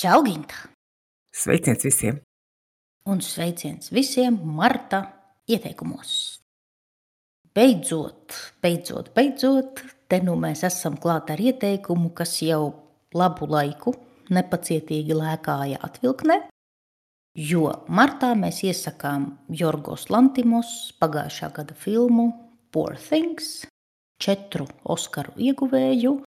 Čau, Ginta! Sveiciens visiem! Un sveiciens visiem marta ieteikumos. Beidzot, te nu mēs esam klāt ar ieteikumu, kas jau labu laiku nepacietīgi lēkāja atvilknē, jo martā mēs iesakām Jorgos Lantimos pagājušā gada filmu Poor Things, 4 Oskaru ieguvēju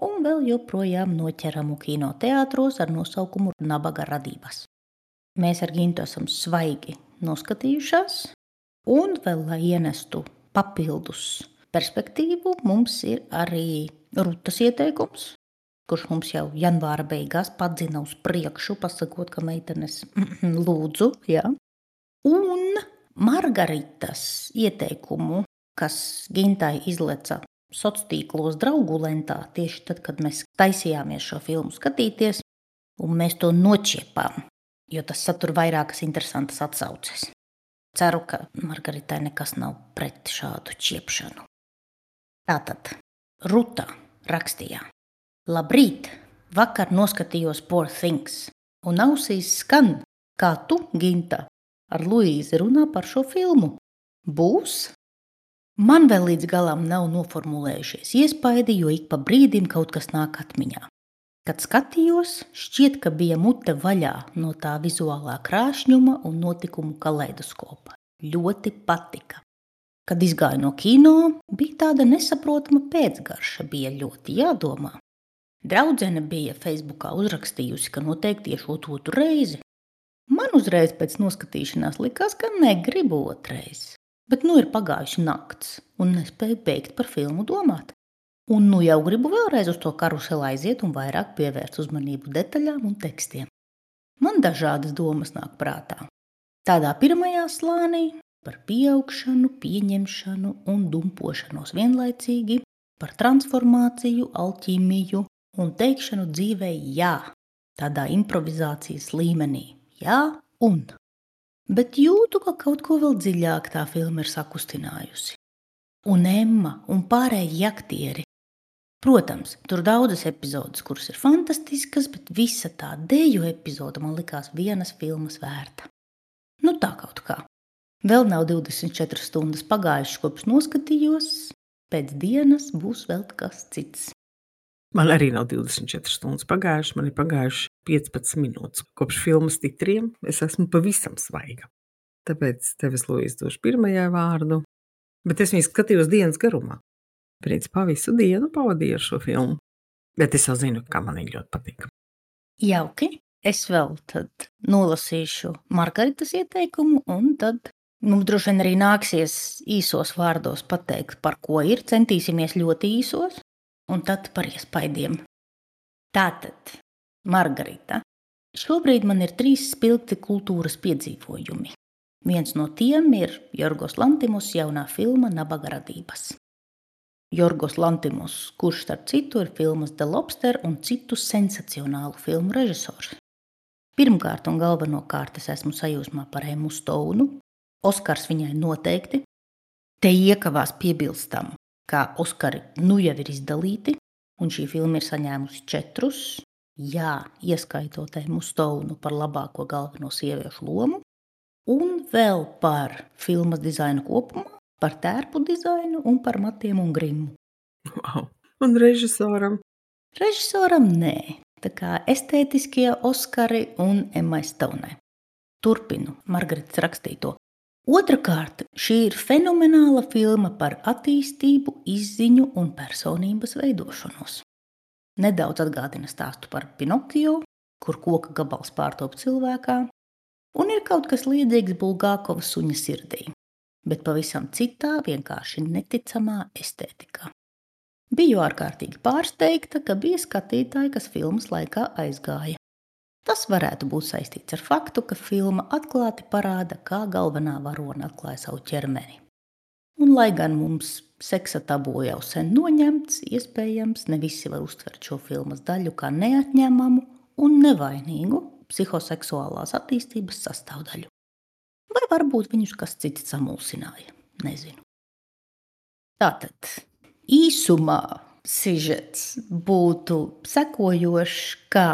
un vēl joprojām noķeramu kinoteātros ar nosaukumu Nabaga radības. Mēs ar Gintu esam svaigi noskatījušās, un vēl, lai ienestu papildus perspektīvu, mums ir arī Rutas ieteikums, kurš mums jau janvāra beigās padzina uz priekšu, pasakot, ka meitenes lūdzu, jā. Un Margaritas ieteikumu, kas Gintai izleca sociālos draugu lentā, tieši tad, kad mēs taisījāmies šo filmu skatīties, un mēs to nočiepām, jo tas satur vairākas interesantas atsauces. Ceru, ka Margaritai nekas nav pret šādu čiepšanu. Tātad Ruta rakstīja: Labrīt! Vakar noskatījos Poor Things, un ausīs skan, kā tu, Ginta, ar Luīzi runā par šo filmu. Būs? Man vēl līdz galam nav noformulējušies iespaidi, jo ik pa brīdim kaut kas nāk atmiņā. Kad skatījos, šķiet, ka bija mute vaļā no tā vizuālā krāšņuma un notikumu kaleidoskopa. Ļoti patika. Kad izgāju no kino, bija tāda nesaprotama pēcgarša, bija ļoti jādomā. Draudzene bija Facebookā uzrakstījusi, ka noteikti iešot otru reizi. Man uzreiz pēc noskatīšanās likās, ka negribu otrais. Bet nu ir pagājuši nakts, un nespēju beigt par filmu domāt. Un nu jau gribu vēlreiz uz to karuseli aiziet un vairāk pievērst uzmanību detaļām un tekstiem. Man dažādas domas nāk prātā. Tādā pirmajā slānī par pieaugšanu, pieņemšanu un dumpošanos vienlaicīgi, par transformāciju, alķīmiju un teikšanu dzīvē jā, tādā improvizācijas līmenī jā un. Bet jūtu, ka kaut ko vēl dziļāk tā filma ir sakustinājusi. Un Emma un pārējie aktieri. Protams, tur daudzas epizodes, kuras ir fantastiskas, bet visa tā deju epizode man likās vienas filmas vērta. Nu tā kaut kā. Vēl nav 24 stundas pagājušas, kopš noskatījos, pēc dienas būs vēl kas cits. Man arī nav 24 stundas pagājušas, man ir pagājuši 15 minūtes. Kopš filmas titriem es esmu pavisam svaiga. Tāpēc tev es, Luīz, došu pirmajā vārdu. Bet es viņu skatījos dienas garumā. Principā visu dienu pavadīju ar šo filmu. Bet es jau zinu, kā man viņa ļoti patika. Jauki. Es vēl tad nolasīšu Margaritas ieteikumu, un tad mums droši vien arī nāksies īsos vārdos pateikt, par ko ir. Centīsimies ļoti īsos, un tad par iespaidiem. Tātad, Margarita, šobrīd man ir 3 spilgti kultūras piedzīvojumi. Viens no tiem ir Jorgos Lantimos jaunā filma Nabaga radības. Jorgos Lantimos, kurš starp citu ir filmas The Lobster un citu sensacionālu filmu režisors. Pirmkārt un galvenokārt es esmu sajūsmā par Emmu Stounu. Oskars viņai noteikti. Te iekavās piebilstam, kā Oskari nu jau ir izdalīti, un šī filma ir saņēmusi 4, jā, ieskaitot Emmu Stounu par labāko galveno sieviešu lomu, un vēl par filmas dizainu kopumā, par tērpu dizainu un par matiem un grimmu. Wow. Un režisoram? Režisoram nē, tā kā estētiskie Oskari un Emmai Stounai. Turpinu Margaritas rakstīto. Otrakārt, šī ir fenomenāla filma par attīstību, izziņu un personības veidošanos. Nedaudz atgādina stāstu par Pinokio, kur koka gabals pārtop cilvēkā, un ir kaut kas līdzīgs Bulgākova suņa sirdī, bet pavisam citā, vienkārši neticamā estētikā. Biju ārkārtīgi pārsteigta, ka bija skatītāji, kas filmas laikā aizgāja. Tas varētu būt saistīts ar faktu, ka filma atklāti parāda, kā galvenā varone atklāja savu ķermeni. Un lai gan mums seksa tabū jau sen noņemts, iespējams, ne visi var uztvert šo filmas daļu kā neatņemamu un nevainīgu psihoseksuālās attīstības sastāvdaļu. Vai varbūt viņus kas cits samulsināja, nezinu. Tātad, īsumā sižets būtu sekojošs, ka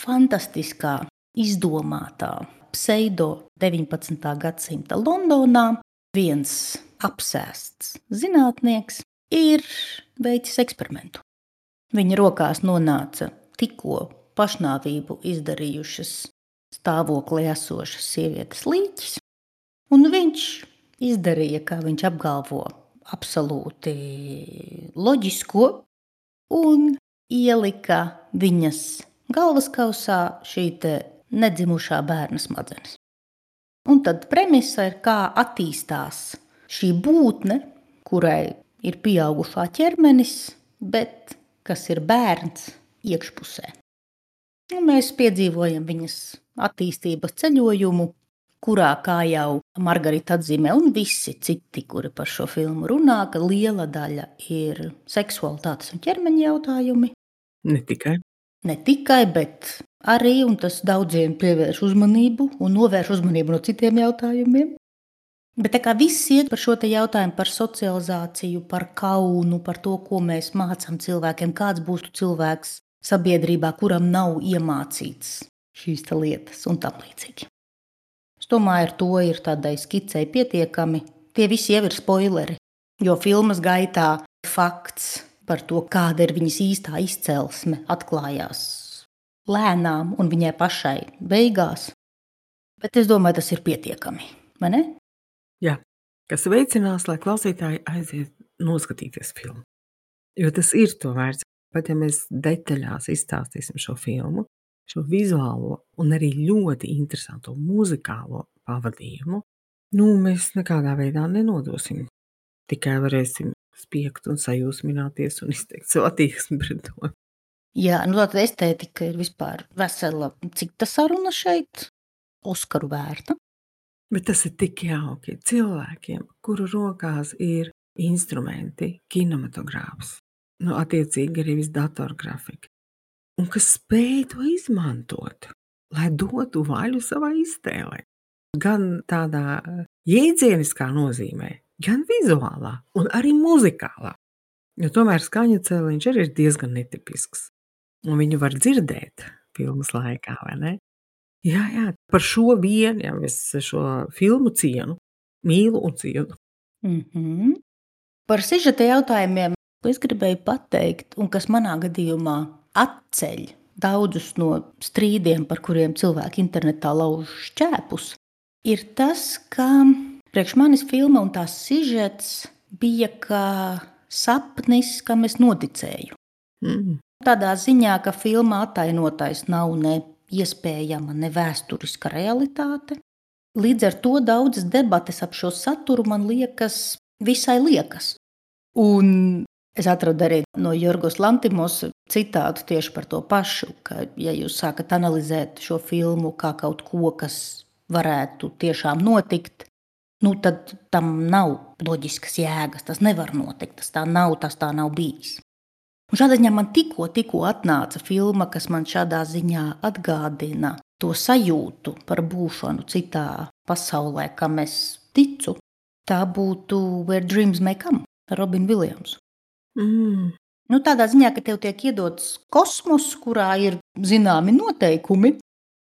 fantastiskā, izdomātā pseido 19. gadsimta Londonā viens apsēsts zinātnieks ir veicis eksperimentu. Viņa rokās nonāca tikko pašnāvību izdarījušas stāvoklī esošas sievietes līķis, un viņš izdarīja, kā viņš apgalvo, absolūti loģisko un ielika viņas galvaskausā šī nedzimušā bērna smadzenes. Un tad premisa ir, kā attīstās šī būtne, kurai ir pieaugušā ķermenis, bet kas ir bērns iekšpusē. Un mēs piedzīvojam viņas attīstības ceļojumu, kurā, kā jau Margarita atzīmē un visi citi, kuri par šo filmu runā, ka liela daļa ir seksualitātes un ķermeņa jautājumi. Ne tikai, bet arī, un tas daudziem pievērš uzmanību un novērš uzmanību no citiem jautājumiem. Bet tā kā viss iet par šo te jautājumu par socializāciju, par kaunu, par to, ko mēs mācām cilvēkiem, kāds būs tu cilvēks sabiedrībā, kuram nav iemācīts šīs lietas un tam līdzīgi. Es domāju, ar to ir tādai skicei pietiekami. Tie visi jau ir spoileri, jo filmas gaitā fakts par to, kāda ir viņas īstā izcelsme, atklājās lēnām un viņai pašai beigās. Bet es domāju, tas ir pietiekami, vai ne? Jā, kas veicinās, lai klausītāji aiziet noskatīties filmu. Jo tas ir to vērts. Pat ja mēs detaļās izstāstīsim šo filmu, šo vizuālo un arī ļoti interesanto muzikālo pavadījumu, mēs nekādā veidā nenodosim. Tikai varēsim spiegt un sajūsmināties un izteikt savu attieksmi pret to. Jā, tātad estētika ir vispār vesela cita saruna šeit, Oskaru vērta. Bet tas ir tik jauki cilvēkiem, kuru rokās ir instrumenti, kinematogrāfs, attiecīgi arī viss datorgrafika, un kas spēj to izmantot, lai dotu vaļu savā iztēlē. Gan tādā jēdzieniskā nozīmē, gan vizuālā un arī muzikālā. Jo tomēr skaņu cēliņš arī ir diezgan netipisks. Un viņu var dzirdēt filmas laikā, vai ne? Jā, par šo vienu, ja es šo filmu cienu, mīlu un cienu. Par sižeta jautājumiem es gribēju pateikt, un kas manā gadījumā atceļ daudzus no strīdiem, par kuriem cilvēki internetā lauž šķēpus, ir tas, ka priekš manis filma un tās sižets bija kā sapnis, kam es noticēju. Tādā ziņā, ka filmā attainotais nav ne iespējama, ne vēsturiska realitāte. Līdz ar to daudzas debates ap šo saturu man liekas visai liekas. Un es atradu arī no Jorgos Lantimos citātu tieši par to pašu, ka ja jūs sākat analizēt šo filmu kā kaut ko, kas varētu tiešām notikt, tad tam nav loģiskas jēgas, tas nevar notikt, tas tā nav bijis. Un šādā ziņā man tikko atnāca filma, kas man šādā ziņā atgādina to sajūtu par būšanu citā pasaulē, kam es ticu. Tā būtu Where Dreams May Come ar Robinu Viljamsu. Tādā ziņā, ka tev tiek iedots kosmos, kurā ir zināmi noteikumi,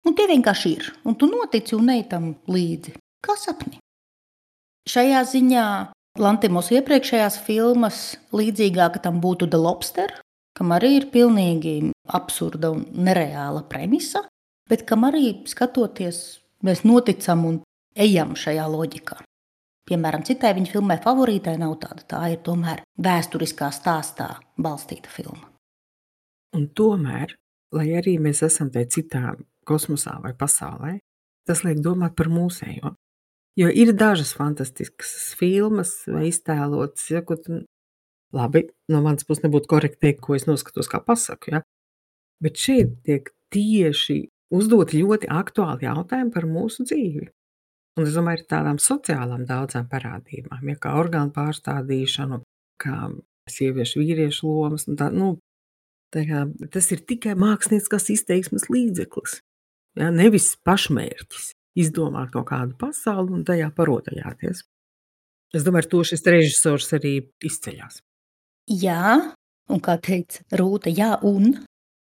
un tie vienkārši ir. Un tu notici un ej tam līdzi, kā sapni. Šajā ziņā Lantimos iepriekšējās filmas līdzīgāka tam būtu The Lobster, kam arī ir pilnīgi absurda un nereāla premisa, bet kam arī skatoties, mēs noticam un ejam šajā loģikā. Piemēram, citai viņa filmai Favorītai nav tāda, tā ir tomēr vēsturiskā stāstā balstīta filma. Un tomēr, lai arī mēs esam te citā kosmosā vai pasaulē, tas liek domāt par mūsējo. Jo ir dažas fantastiskas filmas vai iztēlotas, labi, no manas puses nebūtu korekti teikt, ko es noskatos kā pasaku, ja? Bet šeit tiek tieši uzdot ļoti aktuāli jautājumi par mūsu dzīvi. Un es domāju, ir tādām sociālām daudzām parādībām, ja, kā orgānu pārstādīšanu, kā sieviešu vīriešu lomas. Tas ir tikai mākslinieckās izteiksmes līdzeklis, ja, nevis pašmērķis. Izdomāt kaut kādu pasauli un tajā parotajāties. Es domāju, ar to šis režisors arī izceļās. Jā, un kā teica Rūta, jā, un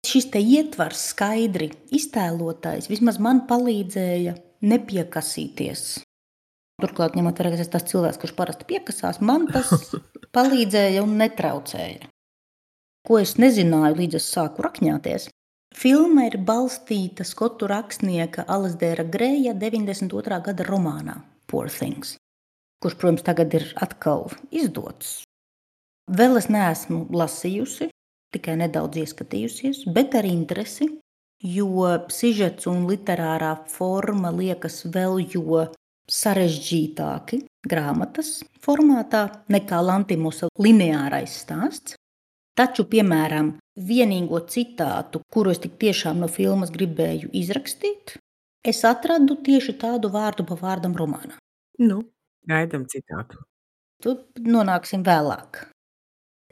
Šis te ietvars skaidri iztēlotais vismaz man palīdzēja nepiekasīties. Turklāt, ņemot vērā, ka es tas cilvēks, kurš parasti piekasās, man tas palīdzēja un netraucēja. Ko es nezināju, līdz es sāku rakņāties. Filma ir balstīta skotu rakstnieka Alasdaira Greja 92. gada romānā Poor Things, kurš, protams, tagad ir atkal izdots. Vēl es neesmu lasījusi, tikai nedaudz ieskatījusies, bet ar interesi, jo sižets un literārā forma liekas vēl jo sarežģītāki grāmatas formātā nekā Lantimusa lineārais stāsts. Taču, piemēram, vienīgo citātu, kuru es tik tiešām no filmas gribēju izrakstīt, es atradu tieši tādu vārdu pa vārdam romānā. Nu, gaidam citātu. Tu nonāksim vēlāk.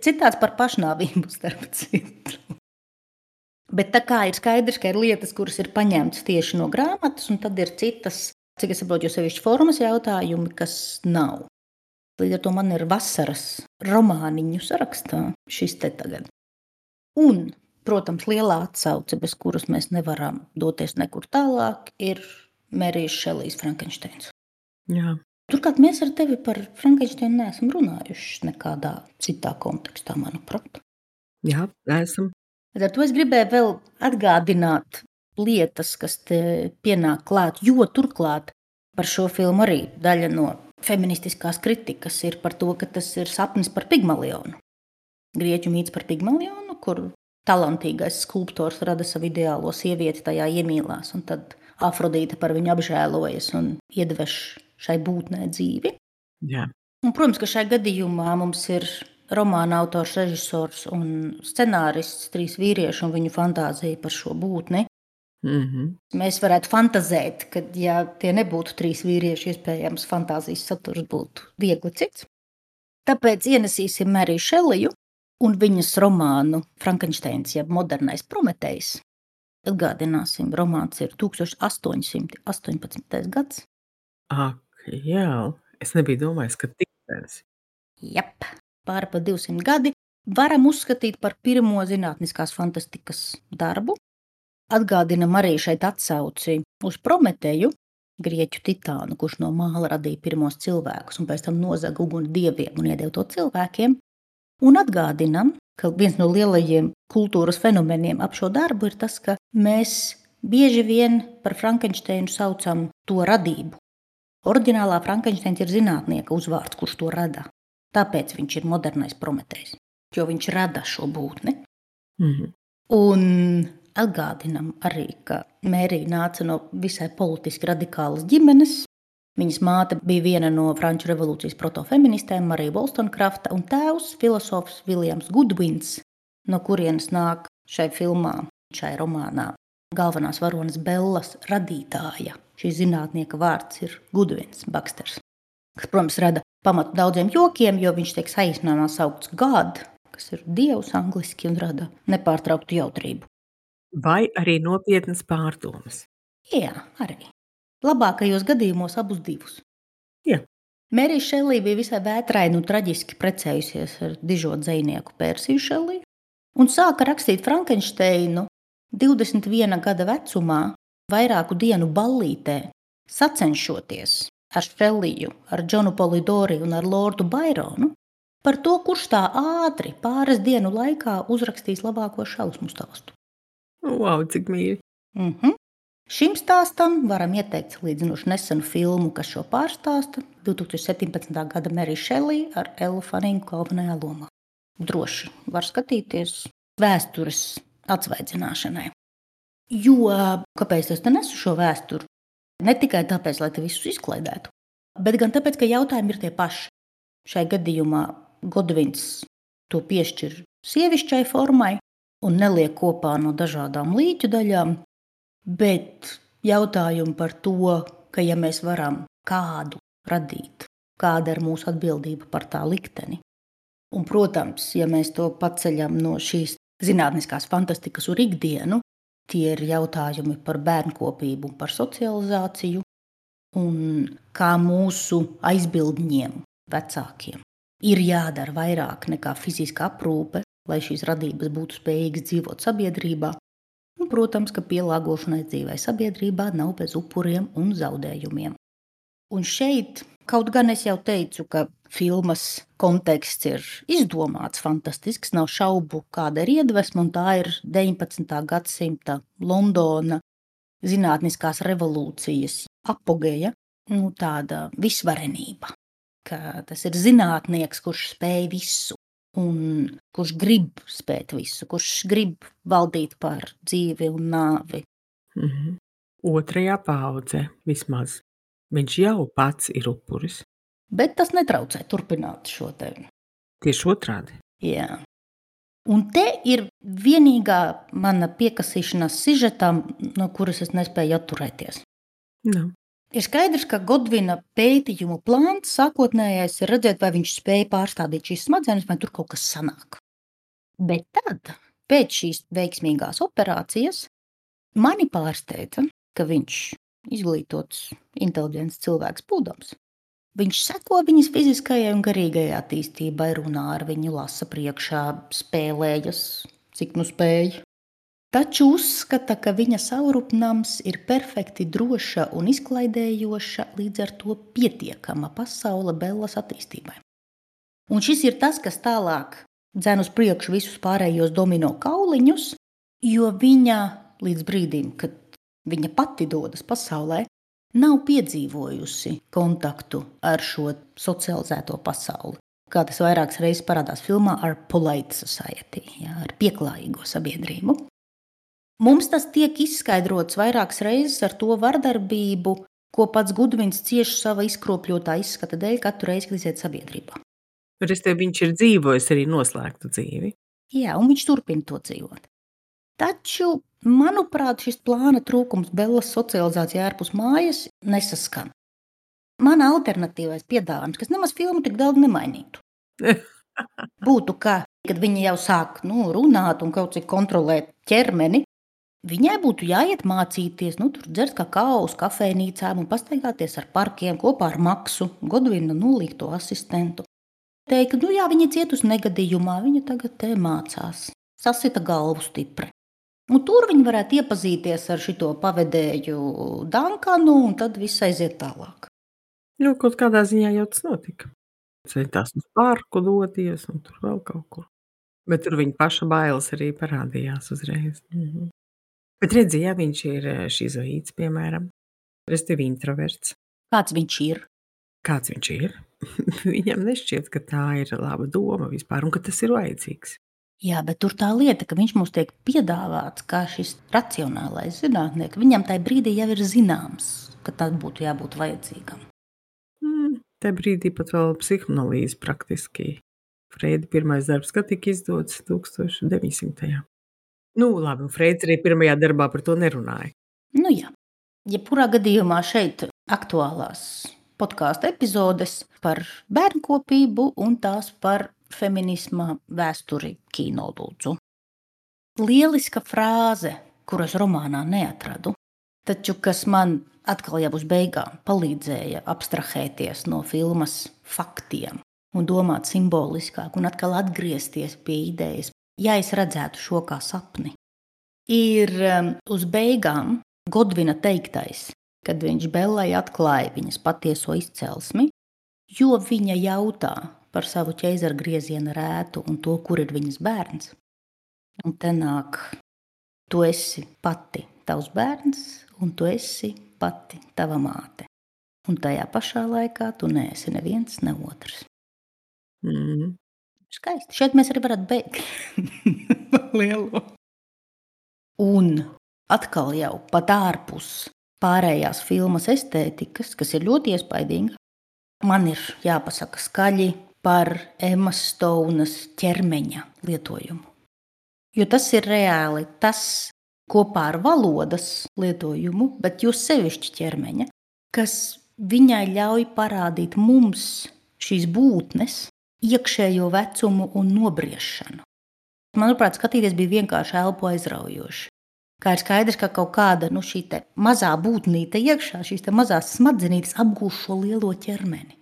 Citāts par pašnāvību, starp citu. Bet tā kā ir skaidrs, ka ir lietas, kuras ir paņemtas tieši no grāmatas, un tad ir citas, cik es saprotu, jo sevišķi formas jautājumi, kas nav. Līdz ar to man ir vasaras romāniņu sarakstā šis te tagad. Un, protams, lielā atsauce, bez kuras mēs nevaram doties nekur tālāk, ir Mērijas Šelijas Frankensteins. Jā. Turklāt mēs ar tevi par Frankensteinu neesam runājuši nekādā citā kontekstā, manuprāt. Jā, esam. Ar to es gribēju vēl atgādināt lietas, kas te pienāk klāt, jo turklāt par šo filmu arī daļa no feministiskās kritikas ir par to, ka tas ir sapnis par Pigmalionu. Grieķu mīts par Pigmalionu, kur talantīgais skulptors rada savu ideālo sievieti, tajā iemīlās, un tad Afrodīte par viņu apžēlojas un iedveš šai būtnē dzīvi. Jā. Un, protams, ka šai gadījumā mums ir romāna autors, režisors un scenārists, 3 vīrieši un viņu fantāzija par šo būtni. Mēs varētu fantazēt, ka, ja tie nebūtu 3 vīrieši, iespējams, fantāzijas saturs būtu viegli cits. Tāpēc ienesīsim Mēriju Šeliju un viņas romānu Frankensteins, jeb modernais Prometejs. Atgādināsim, romāns ir 1818. gads. Ak, jā, es nebiju domājis, ka tik sens. Jep, pāri pa 200 gadi varam uzskatīt par pirmo zinātniskās fantastikas darbu. Atgādinam arī šeit atsauci uz Prometeju, grieķu titānu, kurš no māla radīja pirmos cilvēkus un pēc tam nozaga uguni dieviem un iedeva to cilvēkiem. Un atgādinam, ka viens no lielajiem kultūras fenomeniem ap šo darbu ir tas, ka mēs bieži vien par Frankensteinu saucam to radību. Oriģinālā Frankensteins ir zinātnieka uzvārds, kurš to rada. Tāpēc viņš ir modernais Prometejs, jo viņš rada šo būtni. Un atgādinam arī, ka Mērija nāca no visai politiski radikālas ģimenes. Viņas māte bija viena no Franču revolūcijas protofeministēm, Marija Wollstonecrafta, un tēvs filosofs Viljams Gudvins, no kurienes nāk šai filmā, šai romānā galvenās varonas Bellas radītāja. Šī zinātnieka vārds ir Gudvins Baksters, kas, protams, rada pamatu daudziem jokiem, jo viņš tiek saīsinājumā saukts God, kas ir dievs angliski un rada nepārtrauktu jautrību. Vai arī nopietnas pārdomas? Jā, arī. Labākajos gadījumos abus divus. Jā. Mērija Šelija bija visai vētraini un traģiski precējusies ar dižo dzejnieku Persiju Šeliju un sāka rakstīt Frankensteinu 21 gada vecumā, vairāku dienu ballītē, sacenšoties ar Šeliju, ar Džonu Polidori un ar Lordu Baironu par to, kurš tā ātri pāris dienu laikā uzrakstīs labāko šausmu stāstu. Wow, cik mīļi. Šim stāstam varam ieteikt salīdzinoši nesenu filmu, kas šo pārstāsta, 2017. gada Mērija Šelija ar Ellu Fanningu galvenajā lomā. Droši var skatīties vēstures atsvaidzināšanai. Jo, kāpēc es te nesu šo vēsturi? Ne tikai tāpēc, lai te visus izklaidētu, bet gan tāpēc, ka jautājumi ir tie paši. Šai gadījumā Godvins to piešķir sievišķai formai un neliek kopā no dažādām līķu daļām, bet jautājumi par to, ka ja mēs varam kādu radīt, kāda ir mūsu atbildība par tā likteni. Un, protams, ja mēs to paceļam no šīs zinātniskās fantastikas uz ikdienu, tie ir jautājumi par bērnkopību un par socializāciju un kā mūsu aizbildņiem, vecākiem, ir jādara vairāk nekā fiziska aprūpe, lai šīs radības būtu spējīgas dzīvot sabiedrībā. Un, protams, ka pielāgošanai dzīvei sabiedrībā nav bez upuriem un zaudējumiem. Un šeit, kaut gan es jau teicu, ka filmas konteksts ir izdomāts, fantastisks, nav šaubu, kāda ir iedvesma, un tā ir 19. gadsimta Londona zinātniskās revolūcijas apogeja, tāda visvarenība, ka tas ir zinātnieks, kurš spēj visu, un kurš grib spēt visu, kurš grib valdīt pār dzīvi un nāvi. Otrajā paudzē vismaz. Viņš jau pats ir upuris. Bet tas netraucē turpināt šo te. Tieši otrādi. Jā. Un te ir vienīgā mana piekasīšanās sižetam, no kuras es nespēju atturēties. No. Ir skaidrs, ka Godvina pētījumu plāns sākotnējais ir redzēt, vai viņš spēja pārstādīt šīs smadzenes, vai tur kaut kas sanāk. Bet tad, pēc šīs veiksmīgās operācijas, mani pārsteidza, ka viņš izglītots, inteliģents cilvēks būdams. Viņš seko viņas fiziskajai un garīgajai attīstībai, runā ar viņu, lasa priekšā, spēlējas, cik nu spēj. Taču uzskata, ka viņa saurupnams ir perfekti droša un izklaidējoša, līdz ar to pietiekama pasaule Bellas attīstībai. Un šis ir tas, kas tālāk dzen uz priekšu visus pārējos domino kauliņus, jo viņa līdz brīdim, kad viņa pati dodas pasaulē, nav piedzīvojusi kontaktu ar šo socializēto pasauli. Kā tas vairākas reizes parādās filmā ar Polite Society, ar pieklājīgo sabiedrību. Mums tas tiek izskaidrots vairākas reizes ar to vardarbību, ko pats Gudvins cieš sava izkropļotā izskata dēļ katru reizi, kad iziet sabiedrībā. Viņš ir dzīvojis arī noslēgtu dzīvi. Jā, un viņš turpina to dzīvot. Taču, manuprāt, šis plāna trūkums Bellas socializācijā ārpus mājas nesaskan. Mana alternatīvais piedāvājums, kas nemaz filmu tik daudz nemainītu, būtu, ka, kad viņa jau sāk runāt un kaut cik kontrolēt ķermeni, viņai būtu jāiet mācīties, tur dzert kakao uz kafejnīcām un pastaigāties ar parkiem kopā ar Maksu, Godvina nolīgto asistentu. Teikt, jā, viņa cietusi negadījumā, viņa tagad te mācās, sasita galvu stipri. Un tur viņi varētu iepazīties ar šito pavedēju Dankanu, un tad viss aiziet tālāk. Kaut kādā ziņā jau tas notika. Centās uz parku doties, un tur vēl kaut kur. Bet tur viņa paša bailes arī parādījās uzreiz. Bet redzi, ja viņš ir šizoīds, piemēram, respektīvi introverts. Kāds viņš ir? Kāds viņš ir? Viņam nešķiet, ka tā ir laba doma vispār, un ka tas ir vajadzīgs. Jā, bet tur tā lieta, ka viņš mums tiek piedāvāts kā šis racionālais zinātnieks. Viņam tajā brīdī jau ir zināms, ka tas būtu jābūt vajadzīgam. Tajā brīdī pat vēl psihoanalīze praktiski. Freida pirmais darbs, kad tika izdots 1900. Labi, un Freids arī pirmajā darbā par to nerunāja. Jā. Jebkurā gadījumā šeit aktuālās podkāstu epizodes par bērnkopību un tās par feminisma vēsturi kino lūdzu. Lieliska frāze, kuras romānā neatradu, taču kas man atkal jau uz beigām palīdzēja abstrahēties no filmas faktiem un domāt simboliskāk un atkal atgriezties pie idejas, ja es redzētu šo kā sapni, ir uz beigām Godvina teiktais, kad viņš Bellai atklāja viņas patieso izcelsmi, jo viņa jautā par savu ķeizara grieziena rētu un to, kur ir viņas bērns. Un te nāk, tu esi pati tavs bērns, un tu esi pati tava māte. Un tajā pašā laikā tu neesi neviens, ne otrs. Skaisti. Šeit mēs arī varētu beigt lielo. Un atkal jau pat ārpus pārējās filmas estētikas, kas ir ļoti iespaidīga, man ir jāpasaka skaļi par Emmas Stounas ķermeņa lietojumu. Jo tas ir reāli tas kopā ar valodas lietojumu, bet jo sevišķi ķermeņa, kas viņai ļauj parādīt mums šīs būtnes iekšējo vecumu un nobriešanu. Manuprāt, skatīties bija vienkārši elpu aizraujoši. Kā ir skaidrs, ka kaut kāda šī te mazā būtnīte iekšā, šīs te mazās smadzenītes apgūš šo lielo ķermeni.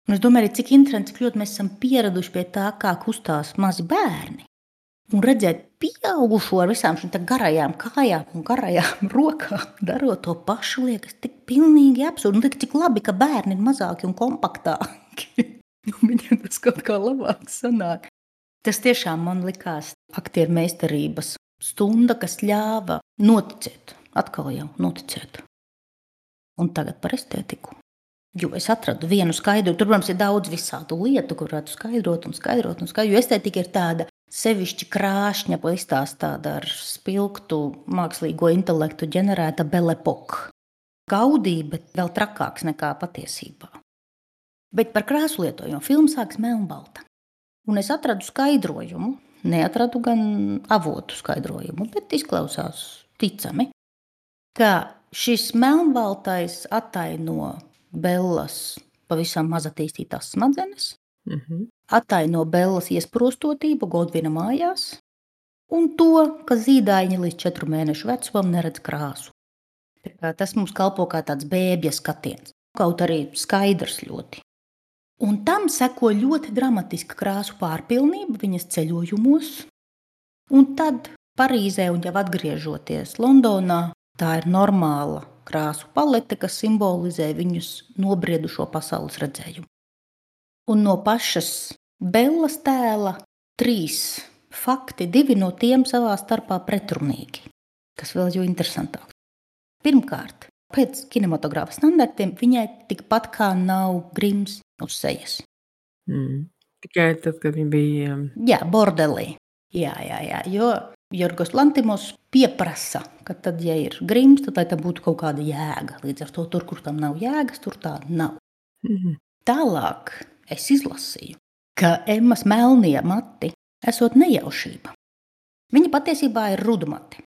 Un es domāju, cik interesanti, cik ļoti mēs esam pieraduši pie tā, kā kustās mazi bērni. Un redzēt pieaugušo ar visām šīm garajām kājām un garajām rokām, darot to pašu, liekas tik pilnīgi absurdi. Un cik labi, ka bērni ir mazāki un kompaktāki. Viņiem tas kaut kā labāk sanāk. Tas tiešām man likās aktieru meistarības stunda, kas ļāva noticēt, atkal jau noticēt. Un tagad par estētiku. Jo es atradu vienu skaidru, tur, protams, ir daudz visādu lietu, kur varētu skaidrot. Jo estētika ir tāda sevišķi krāšņa, izstāstāta ar spilgtu mākslīgo intelektu ģenerēta Belle Époque. Gaudība, bet vēl trakāks nekā patiesībā. Bet par krāsu lietojumu filma sākas melnbalta. Un es atradu skaidrojumu, neatradu gan avotu skaidrojumu, bet izklausās ticami, ka šis melnbaltais attaino Bellas pavisam maz attīstītās smadzenes, attaino Bellas iesprostotību Godvina mājās un to, ka zīdaiņi līdz 4 mēnešu vecumam neredz krāsu. Tas mums kalpo kā tāds bēbja skatiens, kaut arī skaidrs ļoti. Un tam seko ļoti dramatiska krāsu pārpilnība viņas ceļojumos, un tad Parīzē un jau atgriežoties Londonā, tā ir normāla krāsu palete, kas simbolizē viņus nobriedušo pasaules redzējumu. Un no pašas Bellas tēla 3 fakti, 2 no tiem savā starpā pretrunīgi, kas vēl jo interesantāk. Pirmkārt, pēc kinematogrāfa standartiem viņai tikpat kā nav grims uz sejas. Tikai tad, kad viņa bija... Jā, bordelī. Jā, jo Jorgos Lantimos pieprasa, ka tad, ja ir grims, tad lai tam būtu kaut kāda jēga. Līdz ar to tur, kur tam nav jēgas, tur tā nav. Tālāk es izlasīju, ka Emmas melnie mati esot nejaušība. Viņa patiesībā ir rudmati.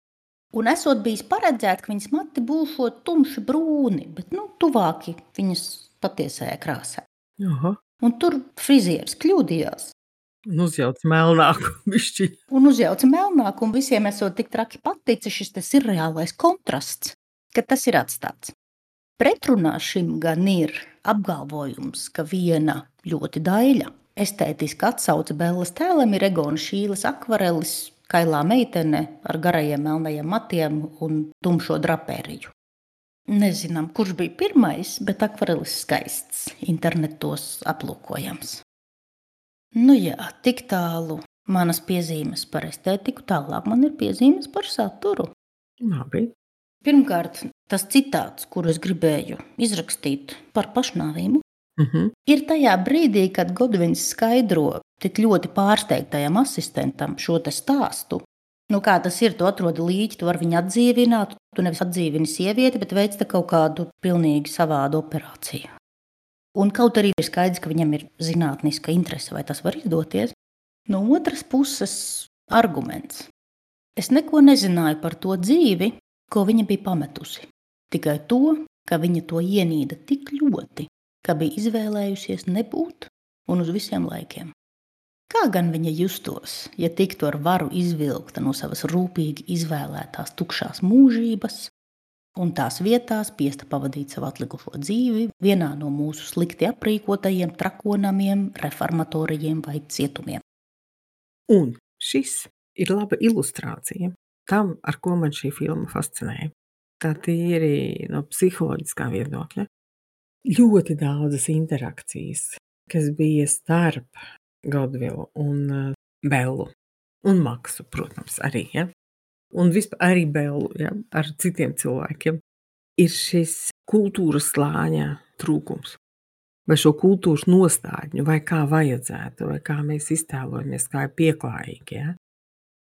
Un esot bijis paredzēt, ka viņas mati būšot tumši brūni, bet tuvāki viņas patiesajai krāsai. Un tur frizieris kļūdījās. Un uzjauca melnāku bišķi. Un visiem esot tik traki paticis šis sirreālais kontrasts, ka tas ir atstāts. Pretrunā šim gan ir apgalvojums, ka viena ļoti daļa estētiska atsauce Bellas tēlam ir Egona Šīles akvarelis, kailā meitene ar garajiem melnajiem matiem un tumšo drapēriju. Nezinām, kurš bija pirmais, bet akvarelis skaists, internetos aplūkojams. Jā, tik tālu manas piezīmes par estētiku, tālāk man ir piezīmes par saturu. Labi. Pirmkārt, tas citāts, kuru es gribēju izrakstīt par pašnāvību, ir tajā brīdī, kad Godvins skaidro tik ļoti pārsteigtajam asistentam šo te stāstu. Kā tas ir, tu atrodi līķi, tu vari viņu atdzīvināt, tu nevis atdzīvini sievieti, bet veic kaut kādu pilnīgi savādu operāciju. Un kaut arī ir skaidrs, ka viņam ir zinātniska interese, vai tas var izdoties. No otras puses, arguments. Es neko nezināju par to dzīvi, ko viņa bija pametusi. Tikai to, ka viņa to ienīda tik ļoti, ka bija izvēlējusies nebūt un uz visiem laikiem. Kā gan viņa justos, ja tiktu ar varu izvilkta no savas rūpīgi izvēlētās tukšās mūžības, un tās vietās spiesta pavadīt savu atlikušo dzīvi vienā no mūsu slikti aprīkotajiem trakonamiem, reformatorijiem vai cietumiem. Un šis ir laba ilustrācija tam, ar ko man šī filma fascinēja. Tā tīri no psiholoģiskā viedokļa. Ļoti daudzas interakcijas, kas bija starp Godvilu un Bellu un Maksu, protams, arī, ja? Un vispār arī Bellu, ja? Ar citiem cilvēkiem, ir šis kultūras slāņa trūkums. Vai šo kultūras nostādņu, vai kā vajadzētu, vai kā mēs iztēlojamies, kā ir pieklājīgi. Ja?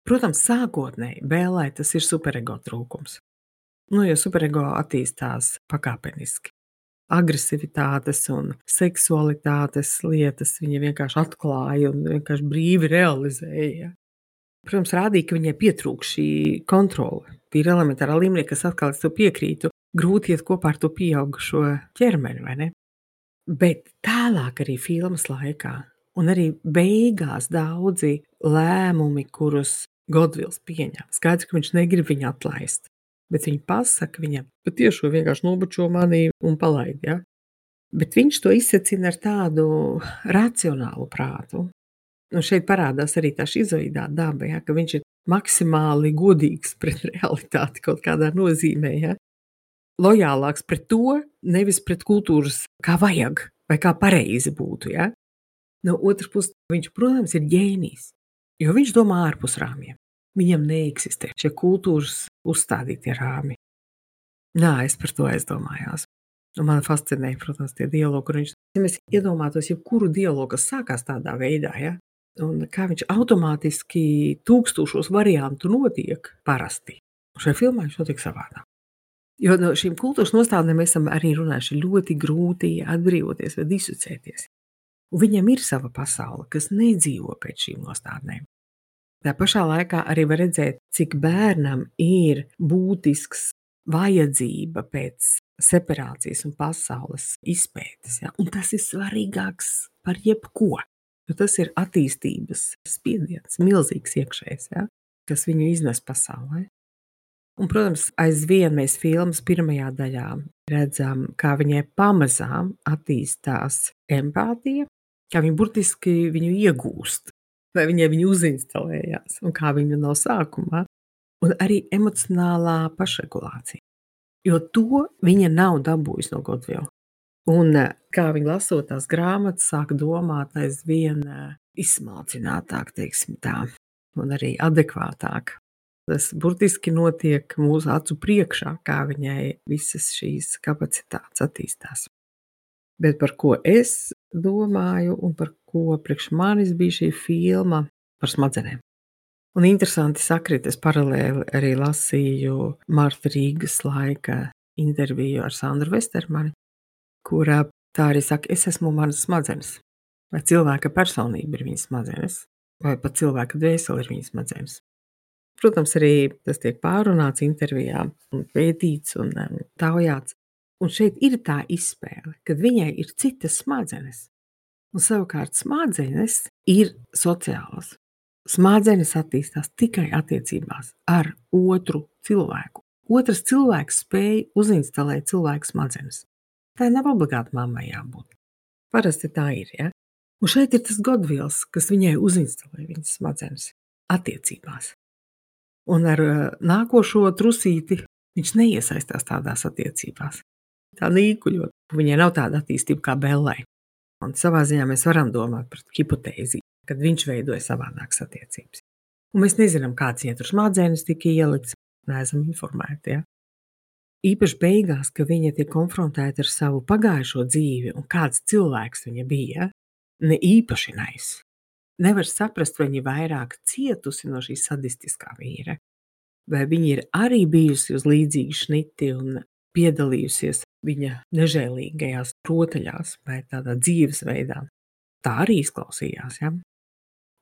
Protams, sākotnēji Bellai tas ir superego trūkums. Jo superego attīstās pakāpeniski. Agresivitātes un seksualitātes lietas viņa vienkārši atklāja un vienkārši brīvi realizēja. Protams, rādīja, ka viņai pietrūk šī kontrole. Tīri elementārā līmenī, kas atkal es to piekrītu, grūti iet kopā ar to pieaugušo ķermeni, vai ne? Bet tālāk arī filmas laikā un arī beigās daudzi lēmumi, kurus Godvils pieņem. Skaidrs, ka viņš negrib viņu atlaist, bet viņa pasaka viņam, patiešo vienkārši nobučo mani un palaid, ja? Bet viņš to izsacina ar tādu racionālu prātu. Un šeit parādās arī tā šizoidā daba, ja, ka viņš ir maksimāli godīgs pret realitāti kaut kādā nozīmē. Ja. Lojālāks pret to, nevis pret kultūras, kā vajag vai kā pareizi būtu. Ja. No otras puses, viņš, protams, ir ģēnijs, jo viņš domā ārpus rāmjiem. Viņam neeksistē šie kultūras uzstādītie rāmi. Jā, es par to aizdomājos. Un man fascinēja, protams, tie dialogi, kur viņš, ja mēs iedomātos jebkuru dialogu, kas sākās tādā veidā, ja, un kā viņš automātiski tūkstošos variantu notiek parasti. Un šajā filmā viņš notiek savādāk. Jo no šīm kultūras nostādnēm mēs esam arī runājuši ļoti grūti atbrīvoties vai disocēties. Un viņam ir sava pasaule, kas nedzīvo pēc šīm nostādnēm. Tā pašā laikā arī var redzēt, cik bērnam ir būtisks vajadzība pēc separācijas un pasaules izpētes. Ja? Un tas ir svarīgāks par jebko. Jo tas ir attīstības spiediens, milzīgs iekšējs, ja? Kas viņu iznes pasaulē. Un, protams, aizvien mēs filmas pirmajā daļā redzam, kā viņai pamazām attīstās empātija, kā viņa burtiski viņu iegūst, vai viņai viņu uzinstalējās, un kā viņa no sākumā, un arī emocionālā pašregulācija. Jo to viņa nav dabūjusi no Godvila. Un kā viņa lasot tās grāmatas, sāk domāt aizvien izsmalcinātāk, teiksim tā, un arī adekvātāk. Tas burtiski notiek mūsu acu priekšā, kā viņai visas šīs kapacitātes attīstās. Bet par ko es domāju un par ko priekš manis bija šī filma par smadzenēm. Un interesanti sakrit, es paralēli arī lasīju Marta Rīgas laika interviju ar Sandru Vestermani, kurā tā arī saka, es esmu manas smadzenes. Vai cilvēka personība ir viņas smadzenes, vai pat cilvēka dvēsele ir viņas smadzenes. Protams, arī tas tiek pārunāts intervijā un pētīts un taujāts. Un šeit ir tā izspēle, kad viņai ir citas smadzenes. Un savukārt smadzenes ir sociālas. Smadzenes attīstās tikai attiecībās ar otru cilvēku. Otrs cilvēks spēj uzinstalēt cilvēku smadzenes. Tā nav obligāti mammai jābūt. Parasti tā ir, ja? Un šeit ir tas Godvils, kas viņai uzinstalē viņas smadzenes attiecībās. Un ar nākošo trusīti viņš neiesaistās tādās attiecībās. Tā nīkuļot. Viņai nav tāda attīstība kā Bellai. Un savā ziņā mēs varam domāt par hipotēzi, kad viņš veidoja savādākas attiecības. Un mēs nezinām, kāds viņai tur smadzenes tika ielikts, neesam informēti. Ja? Īpaši beigās, ka viņa tiek konfrontēta ar savu pagājušo dzīvi un kāds cilvēks viņa bija, ne īpaši nais. Nevar saprast, vai viņa vairāk cietusi no šī sadistiskā vīra, vai viņa ir arī bijusi uz līdzīgi šniti un piedalījusies viņa nežēlīgajās rotaļās vai tādā dzīvesveidā. Tā arī izklausījās, ja?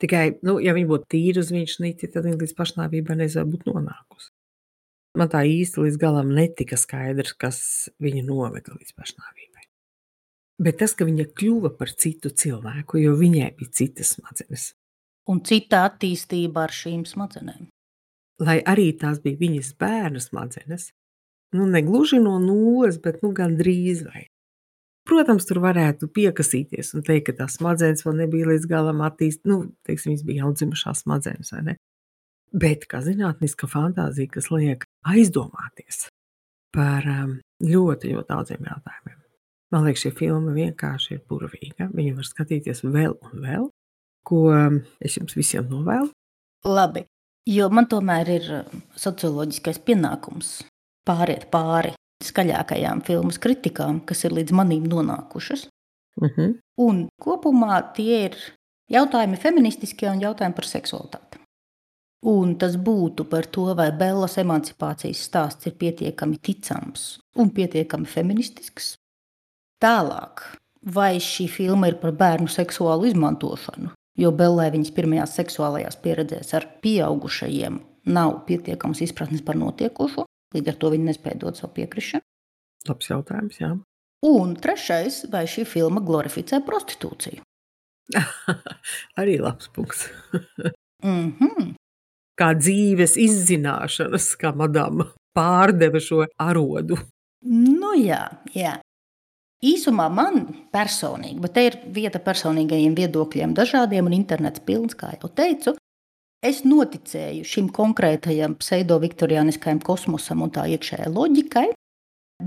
Tikai, ja viņa būtu tīra uz viņa šniti, tad viņa līdz pašnāvībai nezinu būt nonākusi. Man tā īsti līdz galam netika skaidrs, kas viņu noveda līdz pašnāvībai. Bet tas, ka viņa kļuva par citu cilvēku, jo viņai bija citas smadzenes. Un cita attīstība ar šīm smadzenēm. Lai arī tās bija viņas bērnu smadzenes, negluži no nulles, bet gandrīz vai. Protams, tur varētu piekasīties un teikt, ka tās smadzenes vēl nebija līdz galam teiksim, viņas bija jaundzimušās smadzenes, vai ne? Bet kā zinātniska fantāzija, kas liek aizdomāties par ļoti, ļoti daudziem jautājumiem. Man liekas, šī filma vienkārši ir burvīga. Viņu var skatīties vēl un vēl, ko es jums visiem novēlu. Labi, jo man tomēr ir socioloģiskais pienākums pāriet pāri skaļākajām filmas kritikām, kas ir līdz manīm nonākušas. Un kopumā tie ir jautājumi feministiskie un jautājumi par seksualitāti. Un tas būtu par to, vai Bellas emancipācijas stāsts ir pietiekami ticams un pietiekami feministisks. Tālāk, vai šī filma ir par bērnu seksuālu izmantošanu, jo Bellai viņas pirmajās seksuālajās pieredzēs ar pieaugušajiem nav pietiekams izpratnes par notiekošo, līdz ar to viņi nespēja dot savu piekrišanu. Labs jautājums, jā. Un trešais, vai šī filma glorificē prostitūciju? Arī labs punkts. Kā dzīves izzināšanas, kā madama pārdeva šo arodu. Jā. Īsumā man personīgi, bet te ir vieta personīgajiem viedokļiem dažādiem un internets pilns, kā jau teicu, es noticēju šim konkrētajam pseido-viktoriāniskajam kosmosam un tā iekšējai loģikai,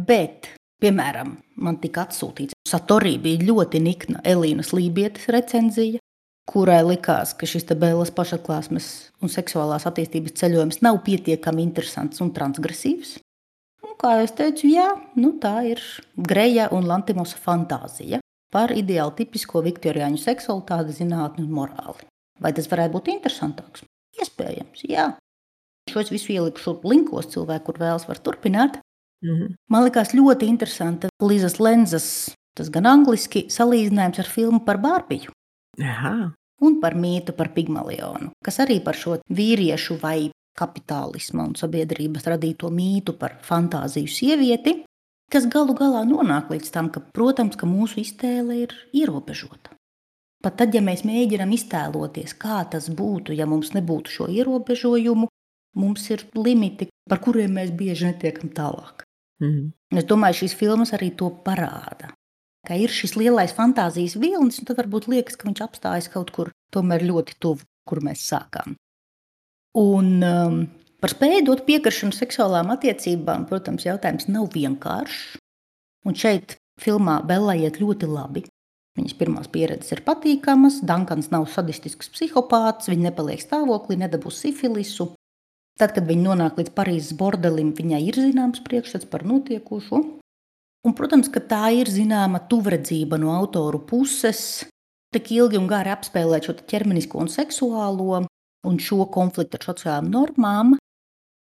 bet, piemēram, man tika atsūtīts, Satorī bija ļoti nikna Elīnas Lībietes recenzija, kurai likās, ka šis te Bellas pašatklāsmes un seksuālās attīstības ceļojums nav pietiekami interesants un transgresīvs. Un, kā jau es teicu, jā, tā ir Greja un Lantimosa fantāzija par ideāli tipisko viktoriāņu seksualitāti, zinātni un morāli. Vai tas varētu būt interesantāks? Iespējams, jā. Šo es visu ielikšu linkos, cilvēku, kur vēlas var turpināt. Man likās ļoti interesanta Lizas Lenzas, tas gan angliski, salīdzinājums ar filmu par Bārbiju. Aha. Un par mītu par Pigmalionu, kas arī par šo vīriešu vai kapitālisma un sabiedrības radīto mītu par fantāziju sievieti, kas galu galā nonāk līdz tam, ka, protams, ka mūsu iztēle ir ierobežota. Pat tad, ja mēs mēģinām iztēloties, kā tas būtu, ja mums nebūtu šo ierobežojumu, mums ir limiti, par kuriem mēs bieži netiekam tālāk. Es domāju, šīs filmas arī to parāda, ka ir šis lielais fantāzijas vilnis, un tad varbūt liekas, ka viņš apstājas kaut kur tomēr ļoti tuvu, kur mēs sākām. Un par spēju dot piekrišanu seksuālām attiecībām, protams, jautājums nav vienkāršs. Un šeit filmā Bellai iet ļoti labi. Viņas pirmās pieredzes ir patīkamas, Dankans nav sadistisks psihopāts, viņa nepaliek stāvoklī, nedabūs sifilisu. Tad, kad viņa nonāk līdz Parīzes bordelim, viņai ir zināms priekšstats par notiekošo. Un, protams, ka tā ir zināma tuvredzība no autoru puses, tik ilgi un gari apspēlēt šo ķermenisko un seksuālo, un šo konfliktu ar sociālām normām.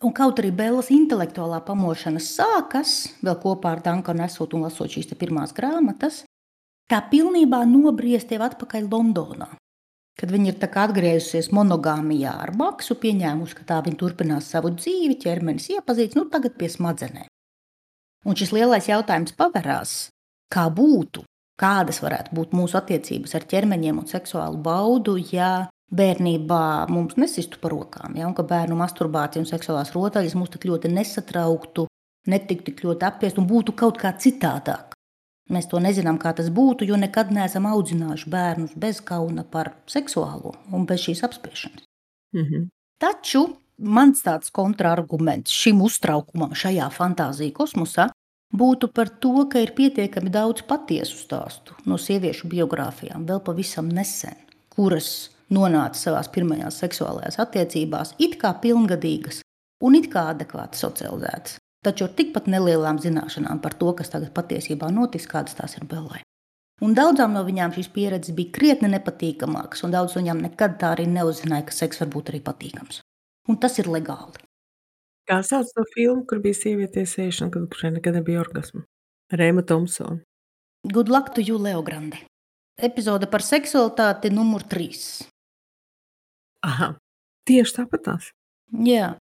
Un kaut arī Bellas intelektuālā pamošana sākas, vēl kopā ar Dankanu esot un lasot šīs pirmās grāmatas, tā pilnībā nobriest tev atpakaļ Londonā. Kad viņa ir tā kā atgriezusies monogāmijā ar Maksu, pieņēmuši, ka tā viņa turpinās savu dzīvi, ķermenis iepazīts, tagad pie smadzenēm. Un šis lielais jautājums paverās, kā būtu, kādas varētu būt mūsu attiecības ar ķermeņiem un seksuālu baudu, ja bērnībā mums nesistu par rokām, un ka bērnu masturbācija un seksuālās rotaļas mūs tik ļoti nesatrauktu, netiktu tik ļoti apspiest un būtu kaut kā citādāk. Mēs to nezinām, kā tas būtu, jo nekad neesam audzinājuši bērnus bez kauna par seksuālo un bez šīs apspiešanas. Taču mans tāds kontraarguments šim uztraukumam šajā fantāzija kosmosā būtu par to, ka ir pietiekami daudz patiesu stāstu no sieviešu biogrāfijām vēl pavisam nesen, kuras nonāca savās pirmajās seksuālajās attiecībās it kā pilngadīgas un it kā adekvāti socializētas, taču ar tikpat nelielām zināšanām par to, kas tagad patiesībā notiks, kādas tās ir Bellai. Un daudzām no viņām šīs pieredzes bija krietni nepatīkamākas, un daudz no viņām nekad tā arī neuzzināja, ka seks var būt arī patīkams. Un tas ir legāli. Kā sauc to filmu, kur bija sieviete sēšana, kurai nekad nebija orgasma? Rēma Thompsona. Good luck to you, Leo Grande. Epizode par seksualitāti numur 3. Aha, tieši tāpatās. Jā.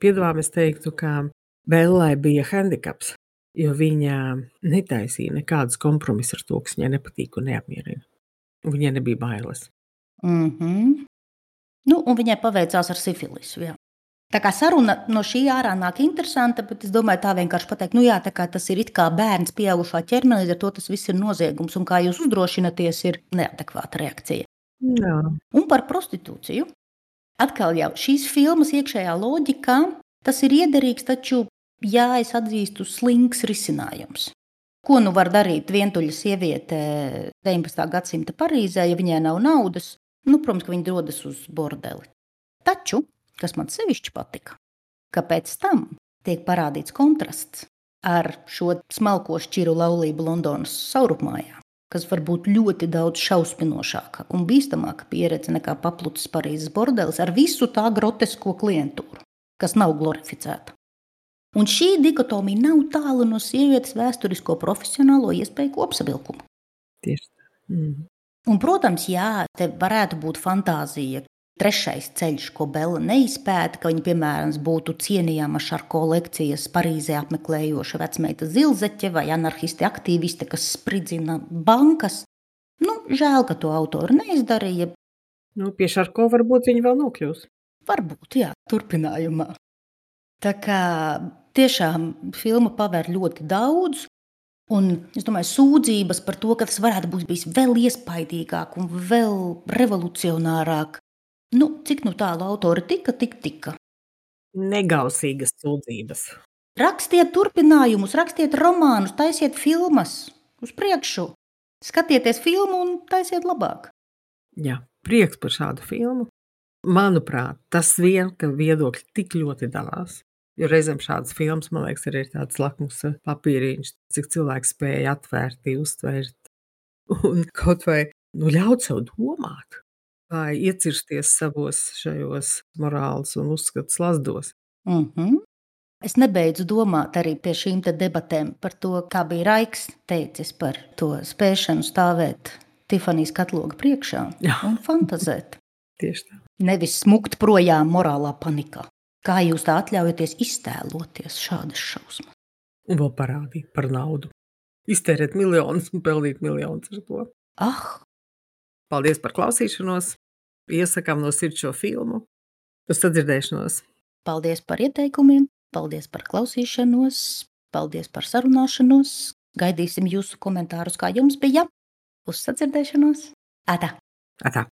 Piedāvām es teiktu, ka Bellai bija handikaps, jo viņa netaisīja nekādus kompromisus ar to, kas viņai nepatīk un neapmierina. Viņai nebija bailes. Un viņai paveicās ar sifilisu, jā. Tā kā saruna no šī ārā nāk interesanta, bet es domāju tā vienkārši pateikt, tā kā tas ir it kā bērns pieaugušā ķermenī, ar to tas viss ir noziegums, un kā jūs uzdrošināties ir neadekvāta reakcija. Jā. Un par prostitūciju. Atkal jau šīs filmas iekšējā loģikā, tas ir iederīgs, taču, es atzīstu, slinks risinājums. Ko var darīt vientuļa sieviete 19. gadsimta Parīzē, ja viņai nav naudas? Protams, ka viņa dodas uz bordeli. Taču, kas man sevišķi patika, ka pēc tam tiek parādīts kontrasts ar šo smalko šķiru laulību Londonas saurupmājā, kas var būt ļoti daudz šausminošāka un bīstamāka pieredze nekā paplucis Parīzes bordelis ar visu tā grotesko klientūru, kas nav glorificēta. Un šī dikotomija nav tālu no sievietes vēsturisko profesionālo iespēju kopsavilkumu. Tieši tā. Un, protams, te varētu būt fantāzija. Trešais ceļš, ko Bella neizpēta, ka viņa, piemēram, būtu cienījama Šarko lekcijas Parīzē apmeklējoša vecmeita zilzeķe vai anarhisti aktīviste, kas spridzina bankas. Žēl, ka to autori neizdarīja. Pie Šarko varbūt viņi vēl nokļūs. Varbūt, turpinājumā. Tā kā tiešām filma paver ļoti daudz, Un es domāju, sūdzības par to, ka tas varētu būt bijis vēl iespaidīgāk un vēl revolucionārāk. Cik tālu autori tika, tik tika. Negausīgas sūdzības. Rakstiet turpinājumus, rakstiet romānus, taisiet filmas uz priekšu. Skatieties filmu un taisiet labāk. Jā, prieks par šādu filmu. Manuprāt, tas vien, ka viedokļi tik ļoti dalās. Jo reizēm šādas filmas, man liekas, arī ir tāds lakmus papīriņš, cik cilvēks spēja atvērt, uztvert un kaut vai ļaut sev domāt, vai iecirsties savos šajos morāles un uzskatus lazdos. Es nebeidzu domāt arī pie šīm debatēm par to, kā bija Raiks teicis par to spēšanu stāvēt Tifanijas katloga priekšā un fantazēt. Tieši tā. Nevis smukt projām morālā panikā. Kā jūs tā atļaujaties iztēloties šādas šausmas? Un vēl parādīt par naudu. Iztērēt miljonus un pelnīt miljonus ar to. Paldies par klausīšanos. Iesakām no sirds šo filmu. Uz sadzirdēšanos. Paldies par ieteikumiem. Paldies par klausīšanos. Paldies par sarunāšanos. Gaidīsim jūsu komentārus, kā jums bija. Uz sadzirdēšanos. Atā! Atā!